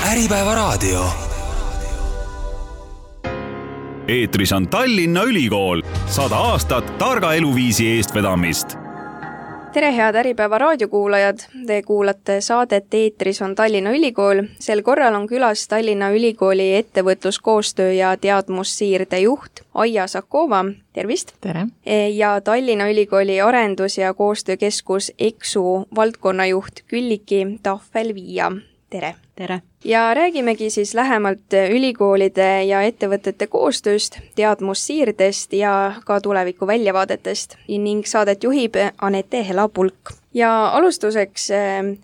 Äripäevaraadio. Eetris on Tallinna Ülikool, 100 aastat targa eluviisi eestvedamist. Tere head Äripäeva raadiokuulajad, te kuulate saadet Eetris on Tallinna Ülikool. Sel korral on külas Tallinna Ülikooli ettevõtluskoostöö ja teadmussiirde juht Aija Sakova. Tervist! Tere! Ja Tallinna Ülikooli arendus- ja koostöökeskus EXU valdkonnajuht Külliki Tahvel-Viia. Tere! Tere! Ja räägimegi siis lähemalt ülikoolide ja ettevõtete koostööst, teadmussiirdest ja ka tuleviku väljavaadetest ning saadet juhib Anette Hela-Pulk. Ja alustuseks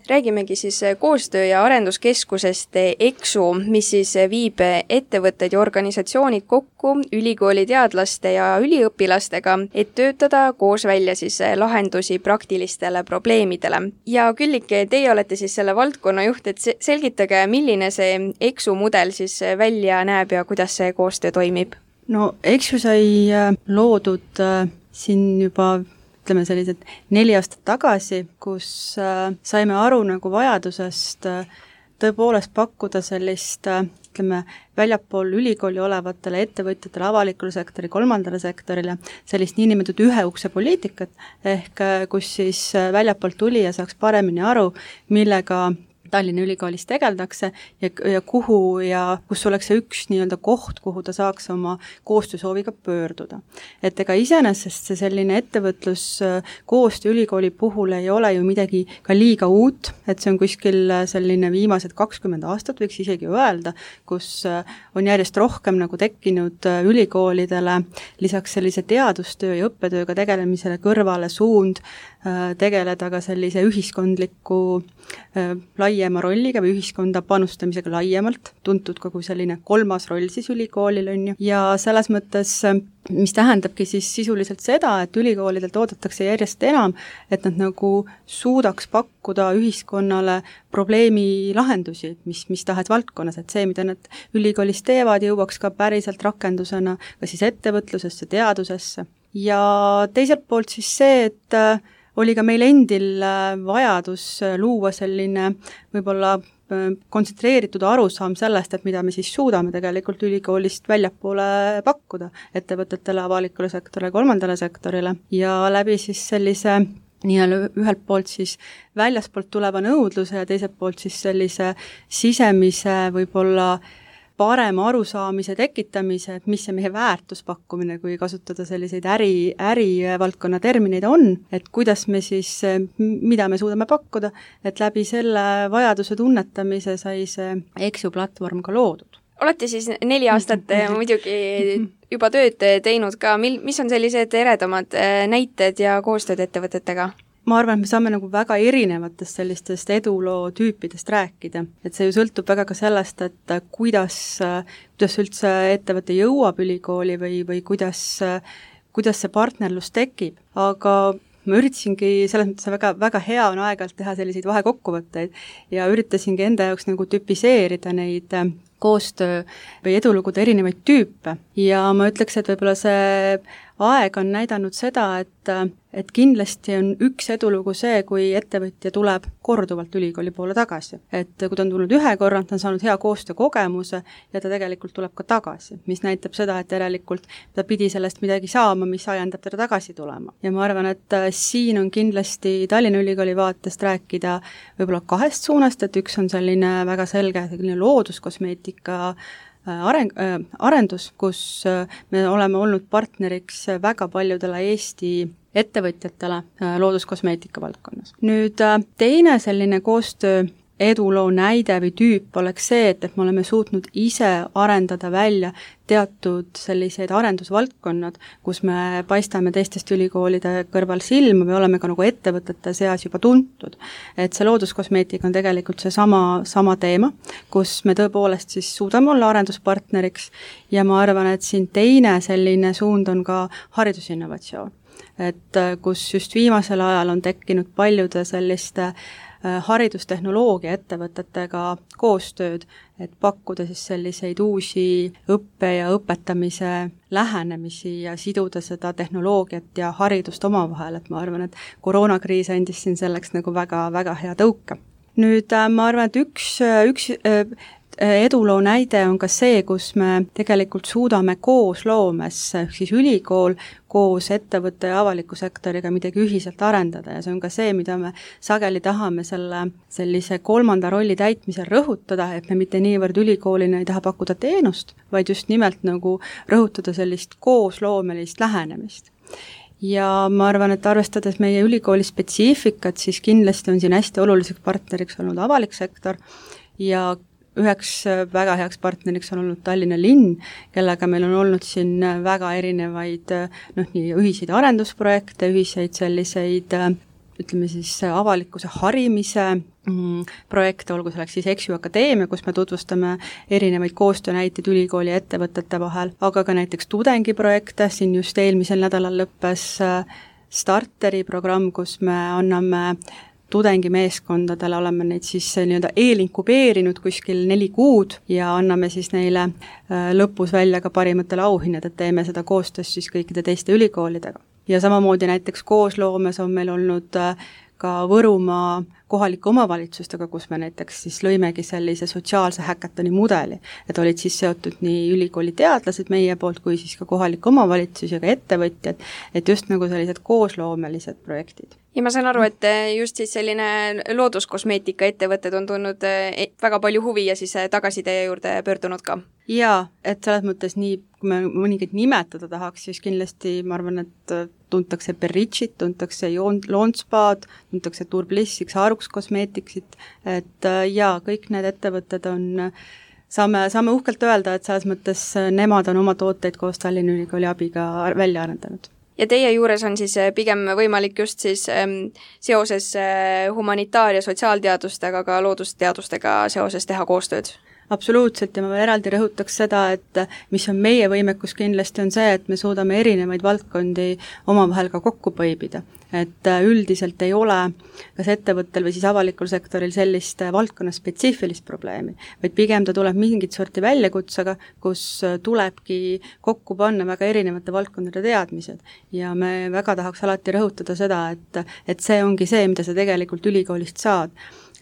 räägimegi siis koostöö- ja arenduskeskusest EXU, mis siis viib ettevõtted ja organisatsioonid kokku ülikooli teadlaste ja üliõpilastega, et töötada koos välja siis lahendusi praktilistele probleemidele. Ja Küllike, teie olete siis selle valdkonna juht, et selgitage, milline see EXU mudel siis välja näeb ja kuidas see koostöö toimib? No EXU sai loodud siin juba sellised 4 aastat tagasi, kus saime aru nagu vajadusest tõepoolest pakkuda sellist väljapool ülikooli olevatele ettevõtjatele, avalikule sektori, kolmandale sektorile sellist niinimetatud ühe ukse poliitikat, ehk kus siis väljapoolt tulija saaks paremini aru, millega Tallinna Ülikoolis tegeldakse ja kuhu ja kus oleks see üks nii-öelda koht, kuhu ta saaks oma koostöösooviga pöörduda. Et ega iseenesest see selline ettevõtlus koostöö ülikooli puhul ei ole ju midagi ka liiga uut, et see on kuskil selline viimased 20 aastat, võiks isegi öelda, kus on järjest rohkem nagu tekkinud ülikoolidele lisaks sellise teadustöö ja õppetööga tegelemisele kõrvale suund tegeleda ka sellise ühiskondliku laiema rolliga või ühiskonda panustamisega laiemalt, tuntud ka kui selline 3. roll siis ülikoolil on ju. Ja selles mõttes, mis tähendabki siis sisuliselt seda, et ülikoolidelt oodatakse järjest enam, et nad nagu suudaks pakkuda ühiskonnale probleemi lahendusi, mis tahes valdkonnas, et see, mida nad ülikoolis teevad, jõuaks ka päriselt rakendusena ka siis ettevõtlusesse, teadusesse. Ja teiselt poolt siis see, et oli ka meil endil vajadus luua selline võib-olla kontsentreeritud arusaam sellest, et mida me siis suudame tegelikult ülikoolist väljapoole pakkuda ettevõtetele, avalikule sektorile, kolmandale sektorile ja läbi siis sellise ühelt poolt siis väljaspoolt tuleva nõudluse ja teiselt poolt siis sellise sisemise võib-olla parema arusaamise tekitamise, et mis see meie väärtuspakkumine, kui kasutada selliseid ärivaldkonna termineid on, et kuidas me siis, mida me suudame pakkuda, et läbi selle vajaduse tunnetamise sai see EXU platvorm ka loodud. Olete siis 4 aastat muidugi juba tööd teinud ka, mis on sellised eredamad näited ja koostööd ettevõtetega? Ma arvan, et me saame nagu väga erinevatest sellistest eduloo tüüpidest rääkida. Et see ju sõltub väga ka sellest, et kuidas üldse ettevõte jõuab ülikooli või kuidas see partnerlus tekib. Aga ma üritasingi, selles mõttes väga, väga hea on aeg-ajalt teha selliseid vahekokkuvõtteid ja üritasingi enda jaoks nagu tüpiseerida neid koostöö või edulugude erinevaid tüüpe. Ja ma ütleks, et võib-olla see aeg on näidanud seda, et kindlasti on üks edulugu see, kui ettevõtja tuleb korduvalt ülikooli poole tagasi. Et kui ta on tulnud ühe korra, ta on saanud hea koostöökogemuse ja ta tegelikult tuleb ka tagasi, mis näitab seda, et järelikult ta pidi sellest midagi saama, mis ajendab teda tagasi tulema. Ja ma arvan, et siin on kindlasti Tallinna Ülikooli vaatest rääkida võib-olla 2 suunast, et üks on selline väga selge looduskosmeetika arendus, kus me oleme olnud partneriks väga paljudele Eesti ettevõtjatele looduskosmeetika valdkonnas. Nüüd teine selline koostöö eduloo näide või tüüp oleks see, et me oleme suutnud ise arendada välja teatud selliseid arendusvaldkonnad, kus me paistame teistest ülikoolide kõrval silma või oleme ka nagu ettevõtete seas juba tuntud. Et see looduskosmeetika on tegelikult see sama teema, kus me tõepoolest siis suudame olla arenduspartneriks ja ma arvan, et siin teine selline suund on ka haridusinnovatsioon. Et kus just viimasel ajal on tekkinud paljude selliste haridustehnoloogia ettevõtetega koostööd, et pakkuda siis selliseid uusi õppe ja õpetamise lähenemisi ja siduda seda tehnoloogiat ja haridust omavahel, et ma arvan, et koroonakriis andis siin selleks nagu väga, väga hea tõuke. Nüüd ma arvan, et üks eduloo näide on ka see, kus me tegelikult suudame koosloomes, siis ülikool koos ettevõtte ja avaliku sektoriga midagi ühiselt arendada ja see on ka see, mida me sageli tahame sellise kolmanda rolli täitmisel rõhutada, et me mitte niivõrd ülikoolina ei taha pakkuda teenust, vaid just nimelt nagu rõhutada sellist koosloomelist lähenemist. Ja ma arvan, et arvestades meie ülikooli spetsiifikat, siis kindlasti on siin hästi oluliseks partneriks olnud avalik sektor ja üheks väga heaks partneriks on olnud Tallinna linn, kellega meil on olnud siin väga erinevaid nii ühiseid arendusprojekte, ühiseid selliseid ütleme siis avalikkuse harimise projekte, olgu selleks siis EXU Akadeemia, kus me tutvustame erinevaid koostöönäiteid ülikooli ja ettevõtete vahel, aga ka näiteks tudengiprojekte, siin just eelmisel nädalal lõppes Starteri programm, kus me anname tudengimeeskondadele, oleme neid siis nii-öelda eelinkubeerinud kuskil 4 kuud ja anname siis neile lõpus välja ka parimatele auhinnad, et teeme seda koostöös siis kõikide teiste ülikoolidega. Ja samamoodi näiteks koosloomes on meil olnud ka Võrumaa kohalike omavalitsustega, kus me näiteks siis lõimegi sellise sotsiaalse häkatoni mudeli, et olid siis seotud nii ülikooli teadlased meie poolt kui siis ka kohalik omavalitsus ja ka ettevõtjad, et just nagu sellised koosloomelised projektid. Ja ma saan aru, et just siis selline looduskosmeetika ettevõtted on tulnud väga palju huvi ja siis tagasiside juurde pöördunud ka. Jaa, et selles mõttes nii, kui me mõningaid nimetada tahaks, siis kindlasti ma arvan, et tuntakse Berritšit, tuntakse Loonspaad, tuntakse Turblissiks, Haruks kosmeetiksit, et jaa, kõik need ettevõtted on, saame uhkelt öelda, et selles mõttes nemad on oma tooteid koos Tallinna Ülikooli abiga välja arendanud. Ja teie juures on siis pigem võimalik just siis seoses humanitaar- ja sotsiaalteadustega, ka loodusteadustega seoses teha koostööd? Absoluutselt ja ma veel eraldi rõhutaks seda, et mis on meie võimekus kindlasti on see, et me suudame erinevaid valdkondi omavahel ka kokku põibida. Et üldiselt ei ole kas ettevõttel või siis avalikul sektoril sellist valdkonna spetsiifilist probleemi, vaid pigem ta tuleb mingit sorti väljakutsega, kus tulebki kokku panna väga erinevate valdkondade teadmised. Ja me väga tahaks alati rõhutada seda, et see ongi see, mida sa tegelikult ülikoolist saad.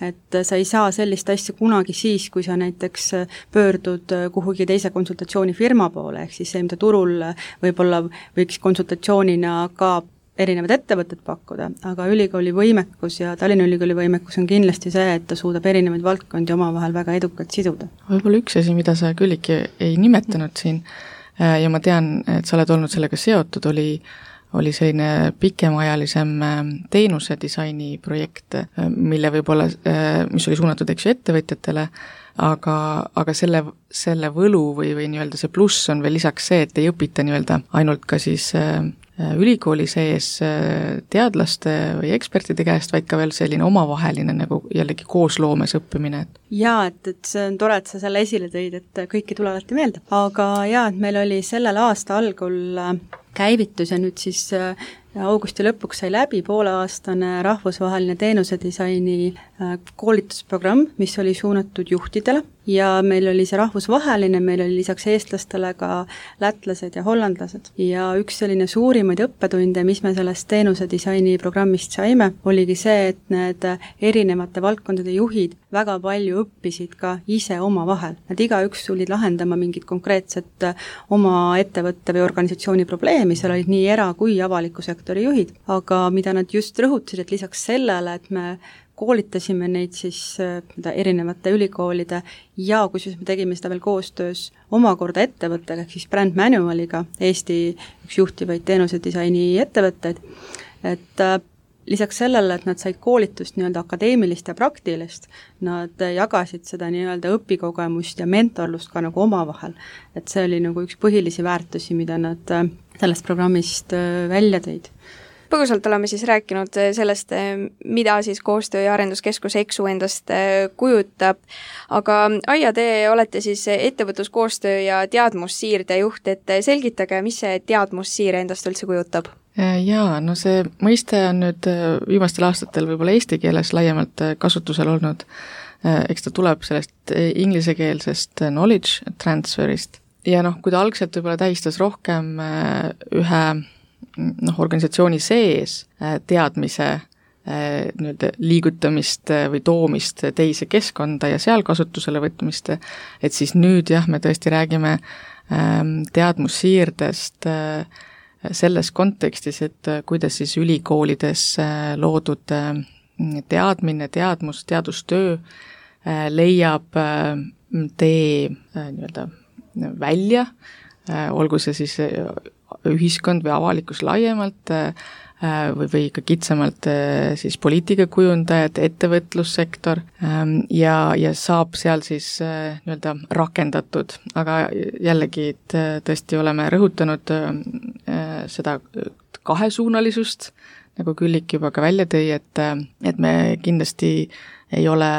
Et sa ei saa sellist asja kunagi siis, kui sa näiteks pöördud kuhugi teise konsultatsioonifirma poole, ehk siis see, mida turul võib-olla võiks konsultatsioonina ka erinevad ettevõtted pakkuda, aga ülikooli võimekus ja Tallinna Ülikooli võimekus on kindlasti see, et ta suudab erinevaid valdkondi omavahel väga edukalt siduda. Võib-olla üks asi, mida sa Külliki ei nimetanud siin ja ma tean, et sa oled olnud sellega seotud, oli selline pikemaajalisem teenuse disaini projekt, mille võib-olla, mis oli suunatud ettevõtjatele, aga selle võlu või nii-öelda see pluss on veel lisaks see, et ei õpita nii-öelda ainult ka siis ülikooli sees teadlaste või ekspertide käest, vaid ka veel selline omavaheline nagu jällegi koosloomes õppimine. Jaa, et see on tore, et sa selle esile tõid, et kõiki tule alati meelde. Aga jaa, et meil oli sellel aasta algul käivitus ja nüüd siis augusti lõpuks sai läbi pooleaastane rahvusvaheline teenusedisaini koolitusprogramm, mis oli suunatud juhtidele ja meil oli see rahvusvaheline, meil oli lisaks eestlastele ka lätlased ja hollandlased. Ja üks selline suurimaid õppetunde, mis me sellest teenusedisaini programmist saime, oligi see, et need erinevate valdkondade juhid väga palju õppisid ka ise oma vahel. Nad igaüks tulid lahendama mingit konkreetset oma ettevõtte või organisatsiooni probleemi, seal olid nii era- kui avaliku sektori juhid, aga mida nad just rõhutasid, et lisaks sellele, et me koolitasime neid siis erinevate ülikoolide ja kusjuures me tegime seda veel koostöös omakorda ettevõttega, ehk siis Brand Manualiga, Eesti üks juhtivaid teenusedisaini ettevõtteid, et lisaks sellele, et nad said koolitust nii-öelda akadeemilist ja praktilist, nad jagasid seda nii-öelda õpikogemust ja mentorlust ka nagu omavahel. Et see oli nagu üks põhilisi väärtusi, mida nad sellest programmist välja tõid. Põgusalt oleme siis rääkinud sellest, mida siis koostöö- ja arenduskeskus EXU endast kujutab, aga Aija, te olete siis ettevõtluskoostöö ja teadmussiirde juht, et selgitage, mis see teadmussiire endast üldse kujutab? Jaa, no see mõiste on nüüd viimastel aastatel võib-olla eesti keeles laiemalt kasutusel olnud, eks ta tuleb sellest inglisekeelsest knowledge transferist ja kui ta algselt võib-olla tähistas rohkem ühe organisatsiooni sees teadmise nii-öelda liigutamist või toomist teise keskkonda ja seal kasutusele võtmist, et siis nüüd jah, me tõesti räägime teadmussiirdest selles kontekstis, et kuidas siis ülikoolides loodud teadmine, teadustöö leiab tee nii-öelda välja, olgu see siis ühiskond või avalikkus laiemalt või ka kitsamalt siis poliitikakujundajad, ettevõtlussektor ja saab seal siis nii-öelda rakendatud, aga jällegi, et tõesti oleme rõhutanud seda kahesuunalisust, nagu Küllik juba ka välja tõi, et me kindlasti ei ole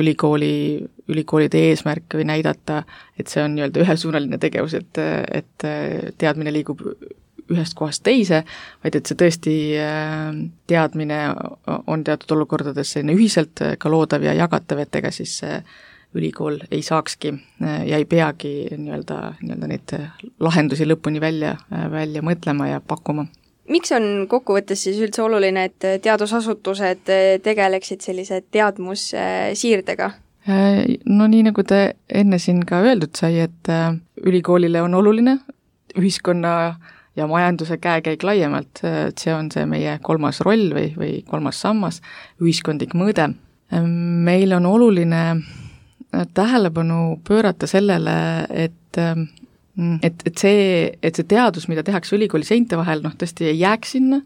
ülikoolide eesmärk või näidata, et see on nii-öelda ühesuunaline tegevus, et teadmine liigub ühest kohast teise, vaid et see tõesti teadmine on teatud olukordades selline ühiselt ka loodav ja jagatav, et ega siis ülikool ei saakski ja ei peagi nii-öelda neid lahendusi lõpuni välja mõtlema ja pakkuma. Miks on kokkuvõttes siis üldse oluline, et teadusasutused tegeleksid sellise teadmussiirdega? No nii, nagu te enne siin ka öeldud sai, et ülikoolile on oluline ühiskonna ja majanduse käekäik laiemalt, et see on see meie kolmas roll või kolmas sammas, ühiskondlik mõõde. Meil on oluline tähelepanu pöörata sellele, et see teadus, mida tehakse ülikooli seinte vahel, tõesti ei jääks sinna,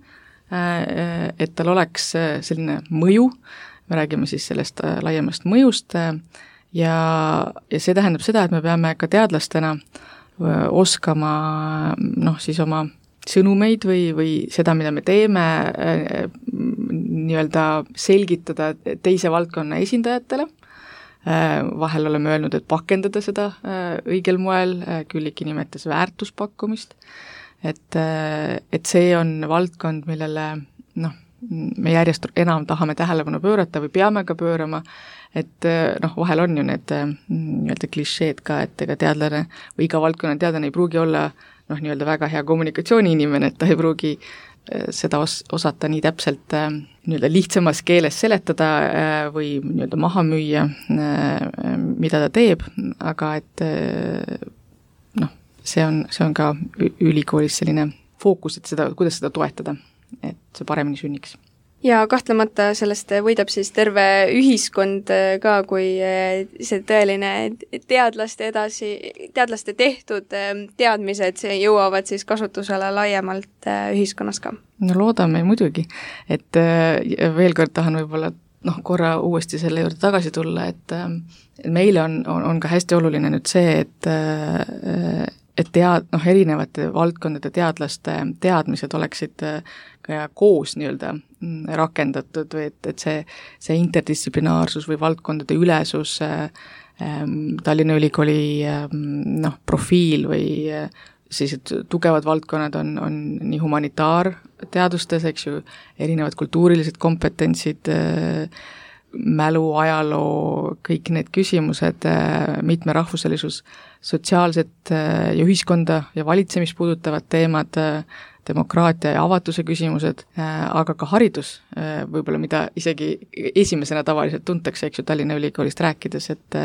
et tal oleks selline mõju, me räägime siis sellest laiemast mõjust ja see tähendab seda, et me peame ka teadlastena oskama siis oma sõnumeid või seda, mida me teeme, nii-öelda selgitada teise valdkonna esindajatele. Vahel oleme öelnud, et pakendada seda õigel moel, Külliki nimetas väärtuspakkumist, et see on valdkond, millele me järjest enam tahame tähelepanu pöörata või peame ka pöörama, et vahel on ju need nii-öelda klišeed ka, et ega teadlane või iga valdkonna teadlane ei pruugi olla nii-öelda väga hea kommunikatsiooniinimene, et ta ei pruugi seda osata nii täpselt nii-öelda lihtsamas keeles seletada või nii-öelda maha müüa, mida ta teeb, aga et see on ka ülikoolis selline fookus, et kuidas seda toetada, et see paremini sünniks. Ja kahtlemata sellest võidab siis terve ühiskond ka, kui see tõeline teadlaste tehtud teadmised jõuavad siis kasutusele laiemalt ühiskonnas ka. No loodame muidugi, et veel kord tahan võib-olla korra uuesti selle juurde tagasi tulla, et meile on ka hästi oluline nüüd see, et erinevate valdkondade teadlaste teadmised oleksid ka koos nii-öelda rakendatud või et see interdistsiplinaarsus või valdkondade ülesus, Tallinna Ülikooli profiil või sellised tugevad valdkonnad on nii humanitaarteadustes, eks ju, erinevad kultuurilised kompetentsid, mälu, ajaloo, kõik need küsimused, mitmerahvuselisus, sotsiaalset ja ühiskonda ja valitsemist puudutavad teemad, demokraatia ja avatuse küsimused, aga ka haridus, võib-olla mida isegi esimesena tavaliselt tuntakse, eks ju, Tallinna Ülikoolist rääkides, et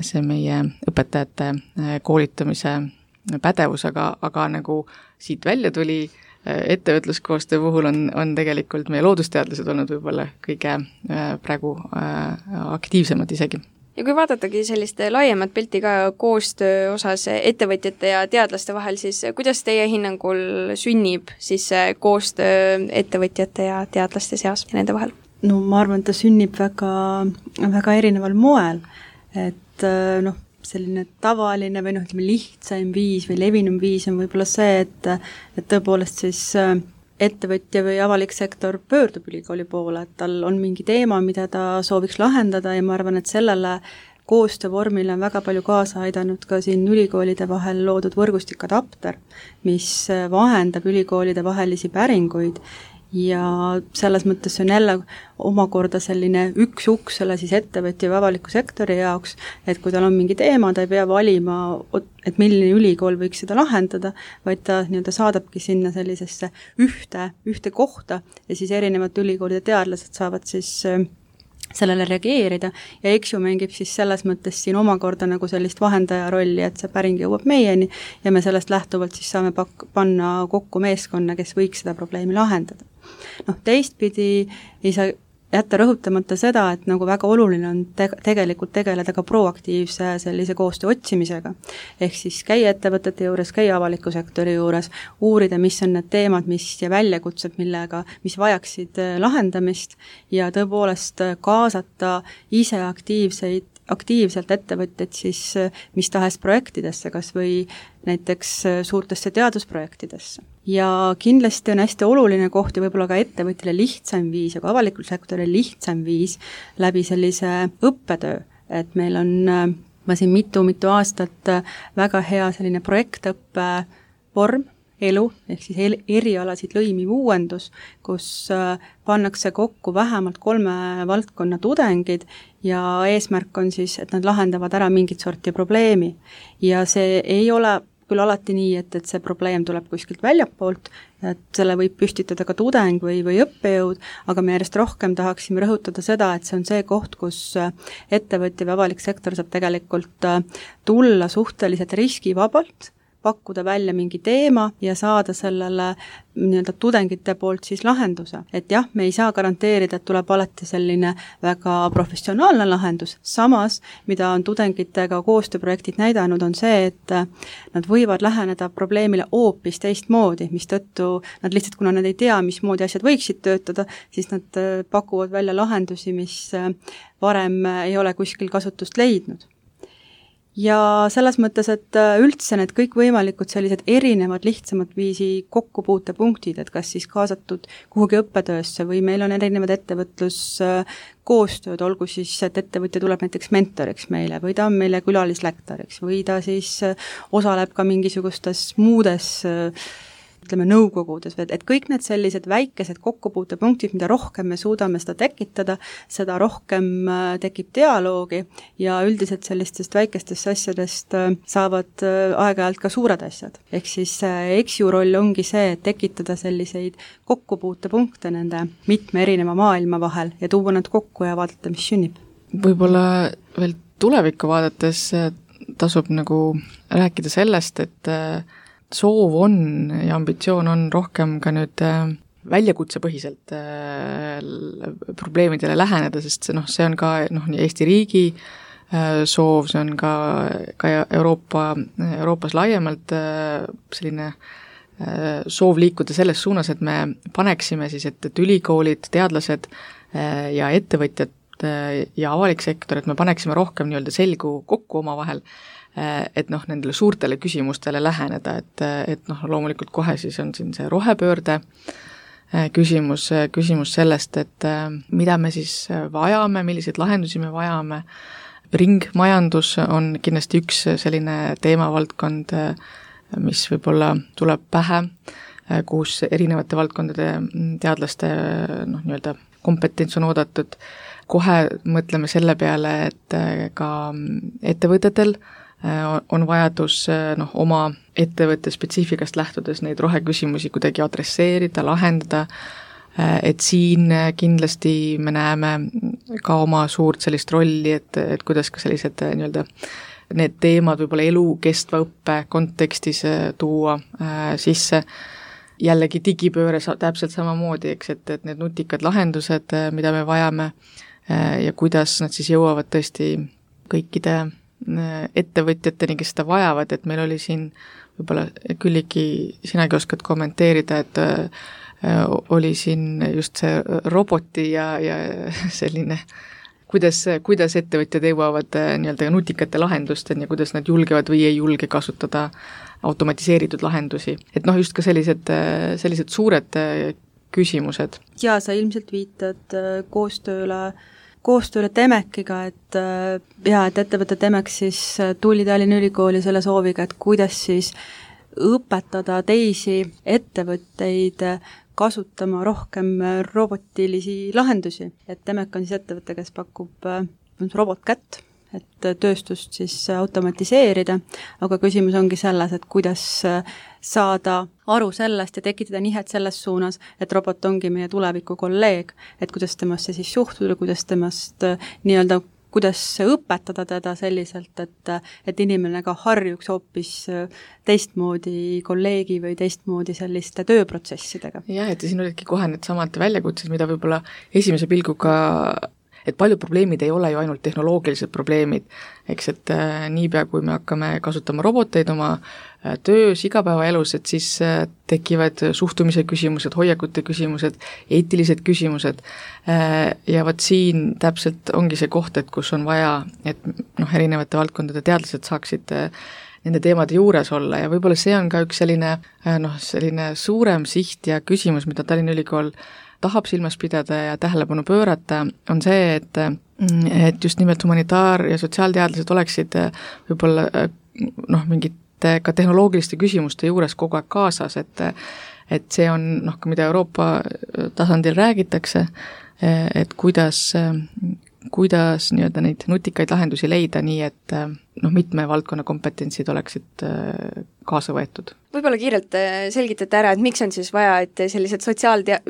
see meie õpetajate koolitamise pädevus, aga nagu siit välja tuli, ettevõtluskoostöö puhul on tegelikult meie loodusteadlased olnud võib-olla kõige praegu aktiivsemad isegi. Ja kui vaadatagi sellist laiemat pilti ka koostöö osas ettevõtjate ja teadlaste vahel, siis kuidas teie hinnangul sünnib siis koostöö ettevõtjate ja teadlaste seas ja nende vahel? No ma arvan, et ta sünnib väga, väga erineval moel, et selline tavaline või lihtsaim viis või levinum viis on võib-olla see, et tõepoolest siis ettevõtja või avalik sektor pöördub ülikooli poole, et tal on mingi teema, mida ta sooviks lahendada ja ma arvan, et sellele koostöövormile on väga palju kaasa aidanud ka siin ülikoolide vahel loodud võrgustik Adapter, mis vahendab ülikoolide vahelisi päringuid ja selles mõttes see on jälle omakorda selline üks uks selle siis ettevõtja või avaliku sektori jaoks, et kui tal on mingi teema, ta ei pea valima, et milline ülikool võiks seda lahendada, vaid ta nii-öelda saadabki sinna sellisesse ühte kohta ja siis erinevate ülikoolide teadlased saavad siis sellele reageerida ja EXU mängib siis selles mõttes siin omakorda nagu sellist vahendaja rolli, et see päring jõuab meieni ja me sellest lähtuvalt siis saame panna kokku meeskonna, kes võiks seda probleemi lahendada. Teistpidi ei saa jätta rõhutamata seda, et nagu väga oluline on tegelikult tegeleda ka proaktiivse sellise koostöö otsimisega. Ehk siis käia ettevõtete juures, käia avaliku sektori juures, uurida, mis on need teemad, ja väljakutsed, mis vajaksid lahendamist ja tõepoolest kaasata ise aktiivselt ettevõtteid siis mis tahes projektidesse, kas või näiteks suurtesse teadusprojektidesse. Ja kindlasti on hästi oluline koht ja võib-olla ka ettevõtjale lihtsam viis ja ka avalikul sektoril lihtsam viis läbi sellise õppetöö, et meil on siin mitu aastat väga hea selline projektõppe vorm, elu, ehk siis erialasid lõimiv uuendus, kus pannakse kokku vähemalt 3 valdkonna tudengid ja eesmärk on siis, et nad lahendavad ära mingit sorti probleemi. Ja see ei ole küll alati nii, et see probleem tuleb kuskilt väljapoolt, et selle võib püstitada ka tudeng või õppejõud, aga me järjest rohkem tahaksime rõhutada seda, et see on see koht, kus ettevõtja või avalik sektor saab tegelikult tulla suhteliselt riskivabalt, pakkuda välja mingi teema ja saada sellele nii-öelda tudengite poolt siis lahenduse. Et jah, me ei saa garanteerida, et tuleb alati selline väga professionaalne lahendus, samas, mida on tudengitega koostööprojektid näidanud, on see, et nad võivad läheneda probleemile hoopis teistmoodi, mistõttu nad lihtsalt, kuna nad ei tea, mismoodi asjad võiksid töötada, siis nad pakuvad välja lahendusi, mis varem ei ole kuskil kasutust leidnud. Ja selles mõttes, et üldse need kõik võimalikud sellised erinevad lihtsamad viisi kokkupuutepunktid, et kas siis kaasatud kuhugi õppetöösse või meil on erinevad ettevõtluskoostööd, olgu siis, et ettevõtja tuleb näiteks mentoriks meile või ta on meile külalislektoriks või ta siis osaleb ka mingisugustes muudes nõukogudes, et kõik need sellised väikesed kokkupuutepunktid, mida rohkem me suudame seda tekitada, seda rohkem tekib dialoogi ja üldiselt sellistest väikestest asjadest saavad aeg-ajalt ka suured asjad. Ehk siis EXU roll ongi see, et tekitada selliseid kokkupuutepunkte nende mitme erineva maailma vahel ja tuua nad kokku ja vaadata, mis sünnib. Võib-olla veel tulevikku vaadates tasub nagu rääkida sellest, et soov on ja ambitsioon on rohkem ka nüüd väljakutsepõhiselt probleemidele läheneda, sest see on ka nii Eesti riigi soov, see on ka Euroopas laiemalt selline soov liikuda selles suunas, et me paneksime siis, et ülikoolid, teadlased ja ettevõtjad ja avalik sektor, et me paneksime rohkem nii-öelda selgu kokku omavahel, et nendele suurtele küsimustele läheneda, et loomulikult kohe siis on siin see rohepöörde küsimus sellest, et mida me siis vajame, milliseid lahendusi me vajame. Ringmajandus on kindlasti üks selline teemavaldkond, mis võib-olla tuleb pähe, kus erinevate valdkondade teadlaste nii-öelda kompetents on oodatud. Kohe mõtleme selle peale, et ka ettevõtetel on vajadus oma ettevõtte spetsiifikast lähtudes neid roheküsimusi kuidagi adresseerida, lahendada, et siin kindlasti me näeme ka oma suurt sellist rolli, et kuidas ka sellised nii-öelda need teemad võib-olla elukestva õppe kontekstis tuua sisse. Jällegi digipööre täpselt samamoodi, eks, et need nutikad lahendused, mida me vajame ja kuidas nad siis jõuavad tõesti kõikide ettevõtjateni, kes seda vajavad, et meil oli siin võib-olla Külliki, sinagi oskad kommenteerida, et oli siin just see roboti ja selline, kuidas ettevõtjad jõuavad nii-öelda nutikate lahendusteni ja kuidas nad julgevad või ei julge kasutada automatiseeritud lahendusi. Et just ka sellised suured küsimused. Ja sa ilmselt viitad koostööle Temekiga, et ettevõte Temek siis tuli Tallinna Ülikooli selle sooviga, et kuidas siis õpetada teisi ettevõtteid kasutama rohkem robotilisi lahendusi, et Temec on siis ettevõte, kes pakub robotkätt, et tööstust siis automatiseerida, aga küsimus ongi selles, et kuidas saada aru sellest ja tekitada nihet selles suunas, et robot ongi meie tuleviku kolleeg, et kuidas temasse siis suhtuda, kuidas temast nii-öelda kuidas õpetada teda selliselt, et inimene ka harjuks hoopis teistmoodi kolleegi või teistmoodi selliste tööprotsessidega. Jah, et siin olidki kohe need samad väljakutsed, mida võib-olla esimese pilguga, et paljud probleemid ei ole ju ainult tehnoloogilised probleemid, eks, et niipea, kui me hakkame kasutama roboteid oma töös, igapäevaelus, et siis tekivad suhtumise küsimused, hoiakute küsimused, eetilised küsimused ja vot siin täpselt ongi see koht, et kus on vaja, et erinevate valdkondade teadlased saaksid nende teemade juures olla ja võib-olla see on ka üks selline suurem siht ja küsimus, mida Tallinna Ülikool tahab silmas pidada ja tähelepanu pöörata, on see, et just nimelt humanitaar- ja sotsiaalteadlased oleksid võib-olla mingite ka tehnoloogiliste küsimuste juures kogu aeg kaasas, et see on mida Euroopa tasandil räägitakse, et kuidas nii-öelda neid nutikaid lahendusi leida nii, et mitme valdkonna kompetentsid oleksid kaasa võetud. Võib-olla kiirelt selgitate ära, et miks on siis vaja, et sellised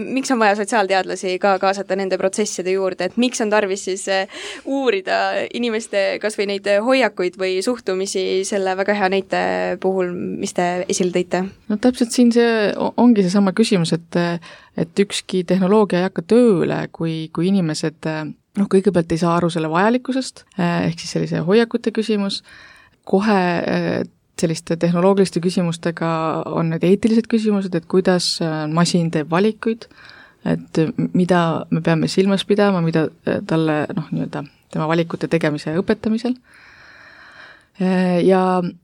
miks on vaja sotsiaalteadlasi ka kaasata nende protsesside juurde, et miks on tarvis siis uurida inimeste kas või neid hoiakuid või suhtumisi selle väga hea näite puhul, mis te esile tõite? No täpselt siin see ongi seesama küsimus, et ükski tehnoloogia ei hakka tööle, kui inimesed kõigepealt ei saa aru selle vajalikkusest, ehk siis sellise hoiakute küsimus, kohe selliste tehnoloogiliste küsimustega on need eetilised küsimused, et kuidas masin teeb valikuid, et mida me peame silmas pidama, mida talle nii-öelda tema valikute tegemise ja õpetamisel. Ja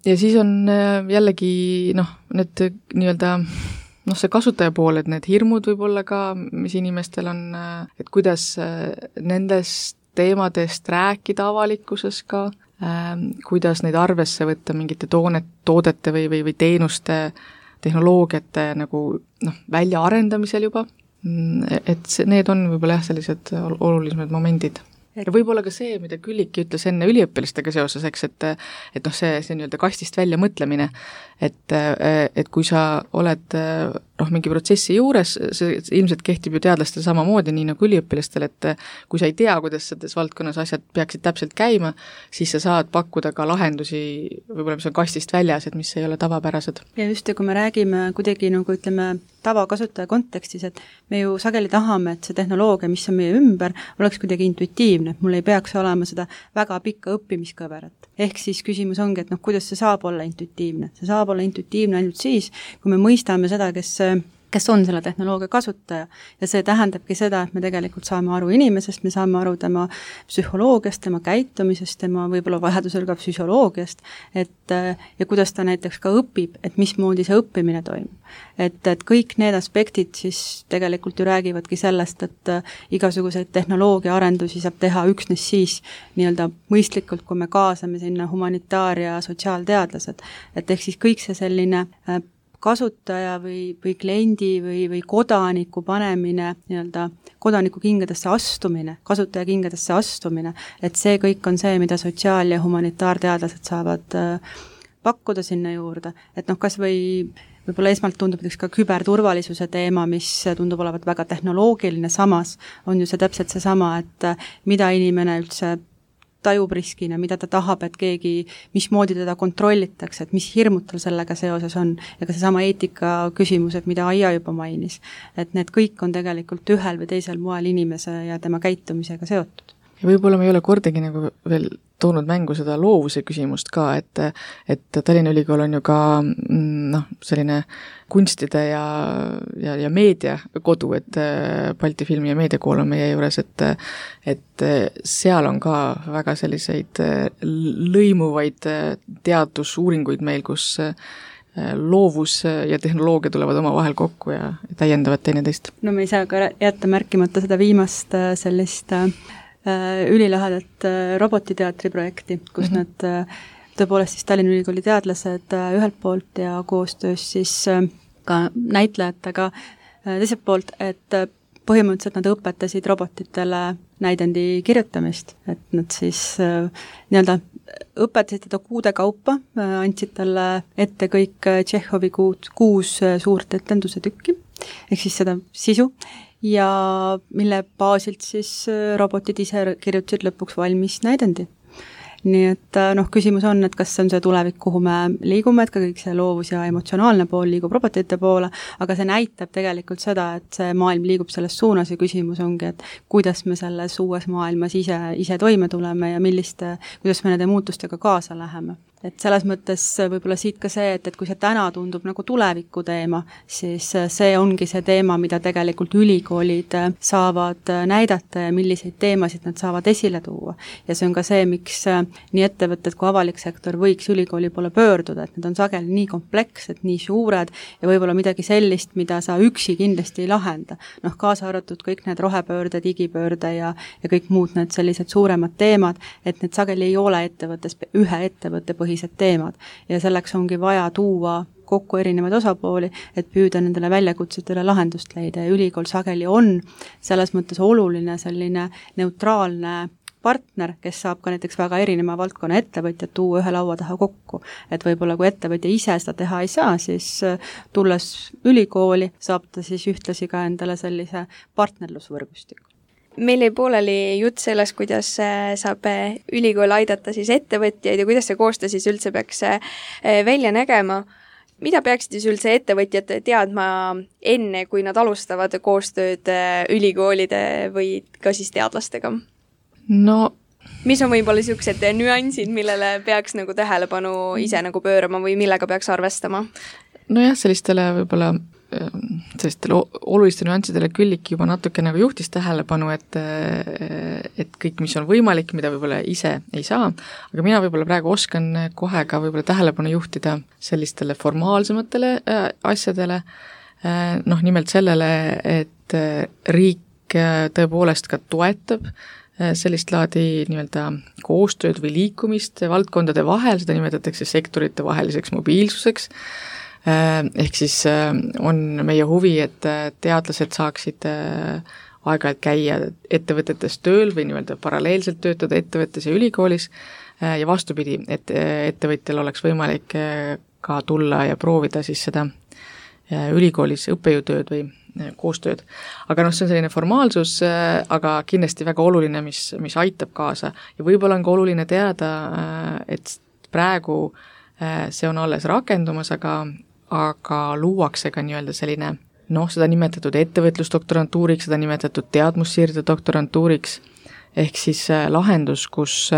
siis on jällegi need nii-öelda see kasutaja pool, et need hirmud võib-olla ka, mis inimestel on, et kuidas nendest teemadest rääkida avalikkuses ka, kuidas neid arvesse võtta mingite toodete või teenuste, tehnoloogiate väljaarendamisel juba, et need on võib-olla sellised olulisemad momendid. Ja võib-olla ka see, mida Külliki ütles enne üliõpilastega seoses, eks, et see nii-öelda kastist välja mõtlemine, et kui sa oled mingi protsessi juures, see ilmselt kehtib ju teadlastel samamoodi, nii nagu üliõpilastel, et kui sa ei tea, kuidas selles valdkonnas asjad peaksid täpselt käima, siis sa saad pakkuda ka lahendusi, võib-olla mis on kastist väljas, et mis ei ole tavapärased. Ja just, kui me räägime kuidagi tavakasutaja kontekstis, et me ju sageli tahame, et see tehnoloogia, mis on meie ümber, oleks kuidagi intuitiivne, et mul ei peaks olema seda väga pikka õppimiskõverat. Ehk siis küsimus ongi, et kuidas see saab olla intuitiivne. See saab olla intuitiivne ainult siis, kui me mõistame seda, kes on selle tehnoloogia kasutaja ja see tähendabki seda, et me tegelikult saame aru inimesest, me saame aru tema psühholoogiast, tema käitumisest, tema võib-olla vajadusel ka füsioloogiast, ja kuidas ta näiteks ka õpib, et mismoodi see õppimine toimub. Et kõik need aspektid siis tegelikult ju räägivadki sellest, et igasuguseid tehnoloogia arendusi saab teha üksnes siis nii-öelda mõistlikult, kui me kaasame sinna humanitaar- ja sotsiaalteadlased. Et ehk siis kõik see selline kasutaja või kliendi või kodaniku panemine, nii-öelda kodaniku kingadesse astumine, kasutaja kingadesse astumine, et see kõik on see, mida sotsiaal- ja humanitaarteadlased saavad pakkuda sinna juurde. Et kas võib-olla esmalt tundub näiteks ka küberturvalisuse teema, mis tundub olevat väga tehnoloogiline, samas on ju see täpselt seesama, et mida inimene üldse tajub riskina, mida ta tahab, et keegi, mismoodi teda kontrollitakse, et mis hirmud tal sellega seoses on, ja ka seesama eetika küsimused, mida Aija juba mainis, et need kõik on tegelikult ühel või teisel moel inimese ja tema käitumisega seotud. Ja võib-olla me ei ole kordagi veel toonud mängu seda loovuse küsimust ka, et Tallinna Ülikool on ju ka selline kunstide ja meedia kodu, et Balti Filmi- ja Meediakool on meie juures, et seal on ka väga selliseid lõimuvaid teadusuuringuid meil, kus loovus ja tehnoloogia tulevad oma vahel kokku ja täiendavad teineteist. No me ei saa ka jätta märkimata seda viimast sellist ülilahedat robotiteatri projekti, kus nad tõepoolest siis Tallinna Ülikooli teadlased ühelt poolt ja koostöös siis ka näitlejatega teiselt poolt, et põhimõtteliselt nad õpetasid robotitele näidendi kirjutamist, et nad siis nii-öelda õpetasid teda kuude kaupa, andsid talle ette kõik Tšehhovi 6 suurt etenduse tükki, ehk siis seda sisu, ja mille baasilt siis robotid ise kirjutasid lõpuks valmis näidendi. Nii et küsimus on, et kas see on see tulevik, kuhu me liigume, et ka kõik see loovus ja emotsionaalne pool liigub robotite poole, aga see näitab tegelikult seda, et see maailm liigub selles suunas ja küsimus ongi, et kuidas me selles uues maailmas ise toime tuleme ja kuidas me nende muutustega kaasa läheme. Et selles mõttes võib-olla siit ka see, et kui see täna tundub nagu tuleviku teema, siis see ongi see teema, mida tegelikult ülikoolid saavad näidata ja milliseid teemasid nad saavad esile tuua. Ja see on ka see, miks nii ettevõtted kui avalik sektor võiks ülikooli poole pöörduda, et need on sageli nii komplekssed, nii suured ja võib-olla midagi sellist, mida sa üksi kindlasti ei lahenda. Kaasa arvatud kõik need rohepöörde, digipöörde ja kõik muud need sellised suuremad teemad, et need sageli ei ole ühe ettevõtte põhised teemad ja selleks ongi vaja tuua kokku erinevaid osapooli, et püüda nendele väljakutsetele lahendust leida ja ülikool sageli on selles mõttes oluline selline neutraalne partner, kes saab ka näiteks väga erineva valdkonna ettevõtjad tuua ühe laua taha kokku. Et võib-olla kui ettevõtja ise seda teha ei saa, siis tulles ülikooli saab ta siis ühtlasi ka endale sellise partnerlusvõrgustiku. Meil jäi pooleli jutt sellest, kuidas saab ülikool aidata siis ettevõtjaid ja kuidas see koostöö siis üldse peaks välja nägema. Mida peaksid siis üldse ettevõtjad teadma enne, kui nad alustavad koostööd ülikoolide või ka siis teadlastega? Mis on võib-olla niisugused nüansid, millele peaks nagu tähelepanu ise nagu pöörama või millega peaks arvestama? Nojah, sellistele võib-olla sellistele oluliste nüanssidele Külliki juba natuke nagu juhtis tähelepanu, et kõik, mis on võimalik, mida võib-olla ise ei saa, aga mina võib-olla praegu oskan kohe ka võib-olla tähelepanu juhtida sellistele formaalsematele asjadele, nimelt sellele, et riik tõepoolest ka toetab sellist laadi nii-öelda koostööd või liikumist valdkondade vahel, seda nimetatakse sektorite vaheliseks mobiilsuseks. Ehk siis on meie huvi, et teadlased saaksid aeg-ajalt käia ettevõtetes tööl või nii-öelda paralleelselt töötada ettevõttes ja ülikoolis ja vastupidi, et ettevõtjal oleks võimalik ka tulla ja proovida siis seda ülikoolis õppejõutööd või koostööd. Aga see on selline formaalsus, aga kindlasti väga oluline, mis aitab kaasa ja võib-olla on ka oluline teada, et praegu see on alles rakendumas, aga luuakse ka nii-öelda selline, seda nimetatud ettevõtlusdoktorantuuriks, seda nimetatud teadmussiirde doktorantuuriks, ehk siis lahendus, kus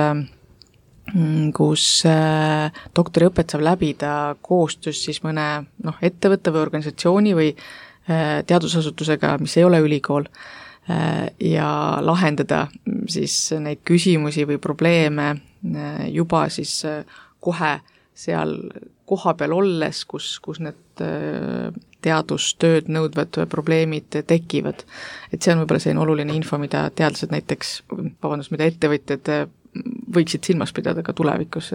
doktoriõpet saab läbida koostöös siis mõne ettevõtte või organisatsiooni või teadusasutusega, mis ei ole ülikool, ja lahendada siis neid küsimusi või probleeme juba siis kohe seal koha peal olles, kus need teadustööd nõudvad probleemid tekivad. Et see on võib-olla selline oluline info, mida teadlased mida ettevõtjad võiksid silmas pidada ka tulevikus.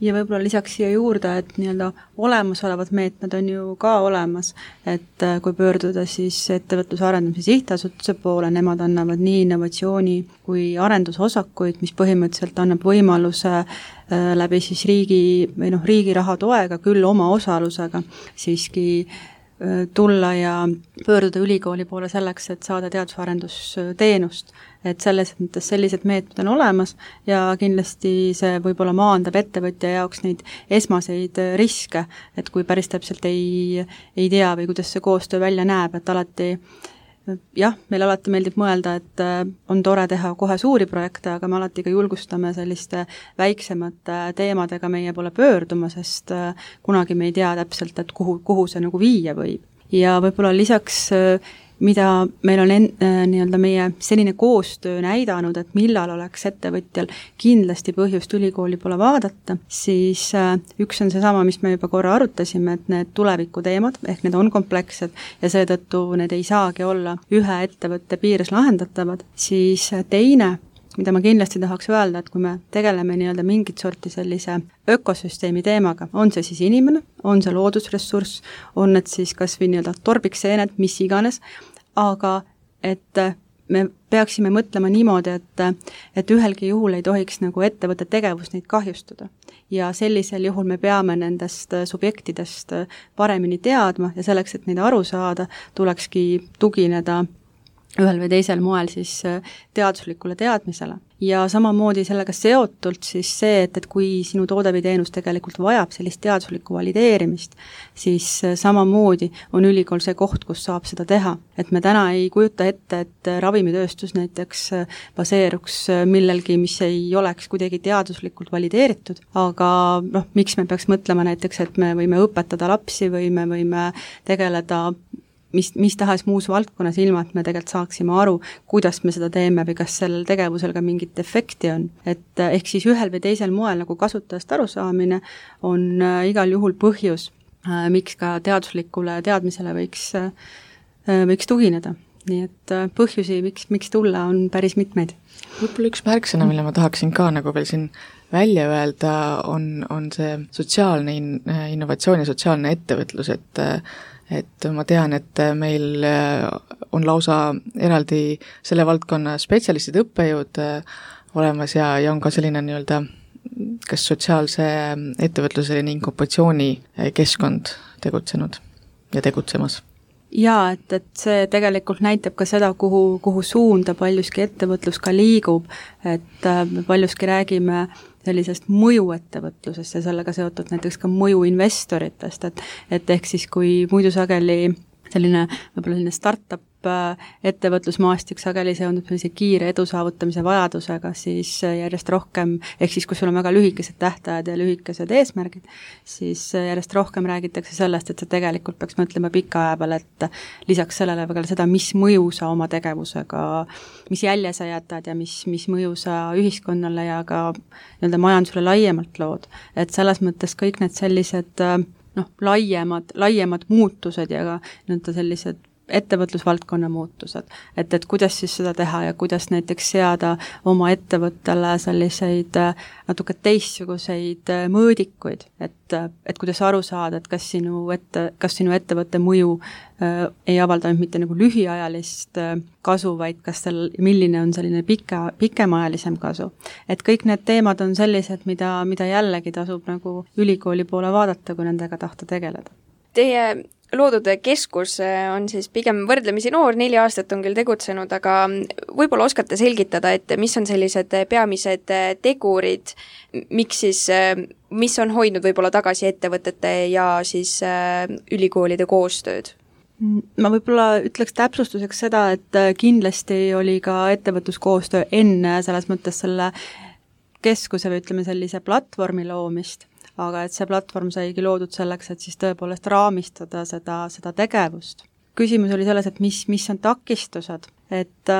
Ja võib-olla lisaks siia juurde, et nii-öelda olemasolevad meetmed on ju ka olemas, et kui pöörduda siis ettevõtluse arendamise sihtasutuse poole, nemad annavad nii innovatsiooni kui arendusosakuid, mis põhimõtteliselt annab võimaluse läbi siis riigi raha toega, küll oma osalusega siiski tulla ja pöörduda ülikooli poole selleks, et saada teadus-arendusteenust. Et selles mõttes sellised meetmed on olemas ja kindlasti see võib-olla maandab ettevõtja jaoks neid esmaseid riske, et kui päris täpselt ei tea või kuidas see koostöö välja näeb, et alati meil alati meeldib mõelda, et on tore teha kohe suuri projekte, aga me alati ka julgustame selliste väiksemate teemadega meie poole pöörduma, sest kunagi me ei tea täpselt, et kuhu see nagu viia võib. Ja võib-olla lisaks mida meil on nii-öelda meie selline koostöö näidanud, et millal oleks ettevõtjal kindlasti põhjust ülikooli poole vaadata, siis üks on seesama, mis me juba korra arutasime, et need tulevikuteemad, ehk need on komplekssed ja seetõttu need ei saagi olla ühe ettevõtte piires lahendatavad, siis teine mida ma kindlasti tahaks öelda, et kui me tegeleme nii-öelda mingit sorti sellise ökosüsteemi teemaga, on see siis inimene, on see loodusressurss, on need siis kas või nii-öelda torbikseened, mis iganes, aga et me peaksime mõtlema niimoodi, et ühelgi juhul ei tohiks nagu ettevõtte tegevus neid kahjustada. Ja sellisel juhul me peame nendest subjektidest paremini teadma ja selleks, et neid aru saada, tulekski tugineda ühel või teisel moel siis teaduslikule teadmisele. Ja samamoodi sellega seotult siis see, et kui sinu toode või teenus tegelikult vajab sellist teaduslikku valideerimist, siis samamoodi on ülikool see koht, kus saab seda teha. Et me täna ei kujuta ette, et ravimitööstus näiteks baseeruks millelgi, mis ei oleks kuidagi teaduslikult valideeritud, aga miks me peaks mõtlema näiteks, et me võime õpetada lapsi või me võime tegeleda mis tahes muus valdkonnas, ilma et me tegelikult saaksime aru, kuidas me seda teeme või kas sellel tegevusel ka mingit efekti on. Et ehk siis ühel või teisel moel nagu kasutajast arusaamine on igal juhul põhjus, miks ka teaduslikule teadmisele võiks tugineda. Nii et põhjusi, miks tulla, on päris mitmeid. Võib-olla üks märksõna, mille ma tahaksin ka nagu veel siin välja öelda, on see sotsiaalne innovatsioon ja sotsiaalne ettevõtlus, et ma tean, et meil on lausa eraldi selle valdkonna spetsialistid, õppejõud olemas ja on ka selline nii-öelda kas sotsiaalse ettevõtluse ning inkubatsiooni keskkond tegutsenud ja tegutsemas. Jaa, et see tegelikult näitab ka seda, kuhu suunda paljuski ettevõtlus ka liigub, et paljuski räägime sellisest mõjuettevõtlusest ja sellega seotud näiteks ka mõjuinvestoritest, et ehk siis kui muidu sageli võib-olla selline startup ettevõtlusmaastik sageli seondub sellise kiire edu saavutamise vajadusega, siis järjest rohkem, ehk siis kus sul on väga lühikesed tähtajad ja lühikesed eesmärgid, siis järjest rohkem räägitakse sellest, et sa tegelikult peaks mõtlema pika aja peale, et lisaks sellele väga seda, mis mõju sa oma tegevusega, mis jälje sa jätad ja mis mõju sa ühiskonnale ja ka nii-öelda majandusele laiemalt lood. Et selles mõttes kõik need sellised laiemad muutused ja ka nii-öelda sellised ettevõtlusvaldkonna muutused, et kuidas siis seda teha ja kuidas näiteks seada oma ettevõttele selliseid natuke teistsuguseid mõõdikuid, et kuidas aru saada, et kas sinu ettevõtte mõju ei avalda mitte nagu lühiajalist kasu, vaid milline on selline pikemaajalisem kasu. Et kõik need teemad on sellised, mida jällegi tasub nagu ülikooli poole vaadata, kui nendega tahta tegeleda. Teie loodud keskus on siis pigem võrdlemisi noor, 4 aastat on küll tegutsenud, aga võib-olla oskate selgitada, et mis on sellised peamised tegurid, mis on hoidnud võib-olla tagasi ettevõtete ja siis ülikoolide koostööd? Ma võib-olla ütleks täpsustuseks seda, et kindlasti oli ka ettevõtluskoostöö enne selles mõttes selle keskuse või ütleme sellise platvormi loomist, aga et see platvorm saigi loodud selleks, et siis tõepoolest raamistada seda tegevust. Küsimus oli selles, et mis on takistused, et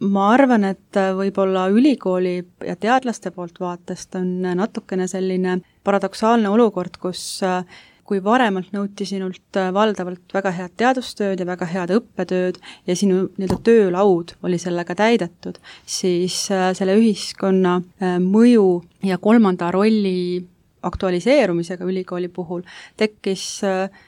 ma arvan, et võib-olla ülikooli ja teadlaste poolt vaatest on natukene selline paradoksaalne olukord, kus kui varemalt nõuti sinult valdavalt väga head teadustööd ja väga head õppetööd ja sinu nii-öelda töölaud oli sellega täidetud, siis selle ühiskonna mõju ja kolmanda rolli aktualiseerumisega ülikooli puhul tekkis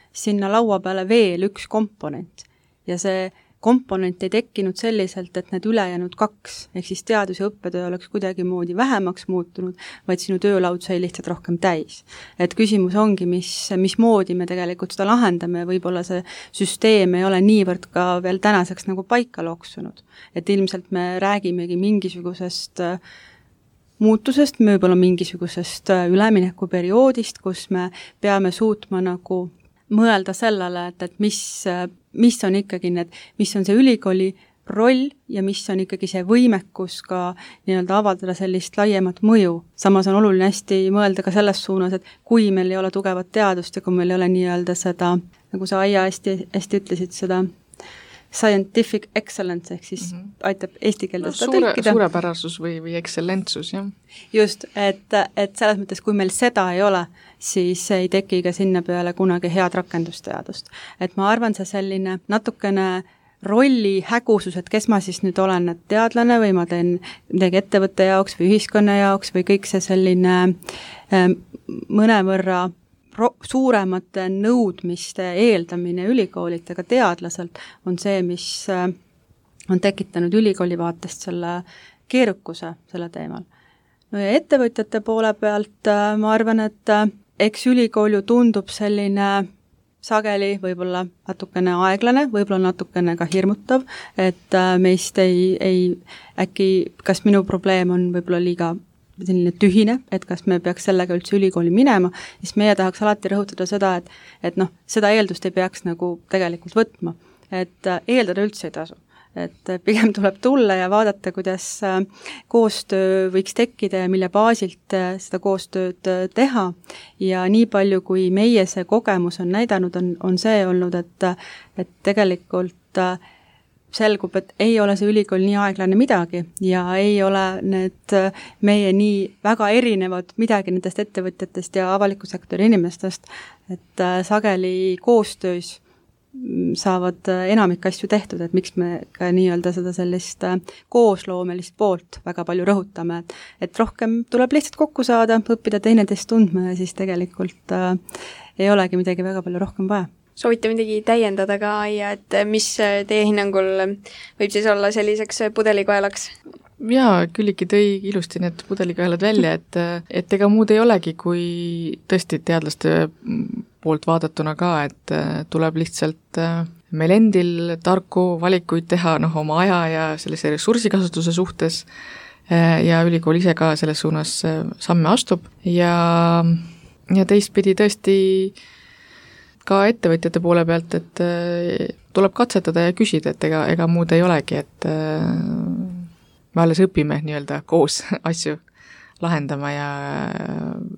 sinna laua peale veel üks komponent ja see komponent ei tekkinud selliselt, et need ülejäänud 2, ehk siis teadus- ja õppetöö oleks kuidagimoodi vähemaks muutunud, vaid sinu töölaud sai lihtsalt rohkem täis. Et küsimus ongi, mismoodi me tegelikult seda lahendame, võib-olla see süsteem ei ole niivõrd ka veel tänaseks nagu paika loksunud. Et ilmselt me räägimegi mingisugusest muutusest, võib-olla mingisugusest üleminekuperioodist, kus me peame suutma nagu mõelda sellele, et mis on ikkagi mis on see ülikooli roll ja mis on ikkagi see võimekus ka nii-öelda avaldada sellist laiemat mõju. Samas on oluline hästi mõelda ka selles suunas, et kui meil ei ole tugevat teadust ja kui meil ei ole nii-öelda seda, nagu sa Aija hästi ütlesid, seda scientific excellence, ehk siis aitab eesti keelde seda tõlkida. Suurepärasus või ekstsellentsus, jah. Just, et selles mõttes, kui meil seda ei ole, siis ei teki ka sinna peale kunagi head rakendusteadust. Et ma arvan, see selline natukene rolli hägusus, et kes ma siis nüüd olen, et teadlane või ma teen midagi ettevõtte jaoks või ühiskonna jaoks või kõik see selline mõnevõrra suuremate nõudmiste eeldamine ülikoolilt, aga teadlaselt on see, mis on tekitanud ülikooli vaatest selle keerukuse selle teemal. No ja ettevõtjate poole pealt ma arvan, et eks ülikool ju tundub selline sageli võib-olla natukene aeglane, võib-olla natukene ka hirmutav, et meist ei äkki, kas minu probleem on võib-olla liiga selline tühine, et kas me peaks sellega üldse ülikooli minema, siis meie tahaks alati rõhutada seda, et noh, seda eeldust ei peaks nagu tegelikult võtma, et eeldada üldse ei tasu. Et pigem tuleb tulla ja vaadata, kuidas koostöö võiks tekkida ja mille baasilt seda koostööd teha. Ja nii palju, kui meie see kogemus on näidanud, on see olnud, et tegelikult selgub, et ei ole see ülikool nii aeglane midagi ja ei ole need meie nii väga erinevad midagi nendest ettevõtjatest ja avaliku sektori inimestest, et sageli koostöös saavad enamik asju tehtud, et miks me ka nii-öelda seda sellist koosloomelist poolt väga palju rõhutame, et rohkem tuleb lihtsalt kokku saada, õppida teineteist tundma ja siis tegelikult ei olegi midagi väga palju rohkem vaja. Soovite midagi täiendada ka, Aija, et mis teie hinnangul võib siis olla selliseks pudelikaelaks? Jaa, Külliki tõi ilusti need pudelikaelad välja, et ega muud ei olegi, kui tõesti teadlaste poolt vaadatuna ka, et tuleb lihtsalt meil endil tarku valikuid teha oma aja ja sellise ressursikasutuse suhtes ja ülikool ise ka selles suunas samme astub ja teistpidi tõesti ka ettevõtjate poole pealt, et tuleb katsetada ja küsida, et ega muud ei olegi, et me alles õpime nii-öelda koos asju lahendama ja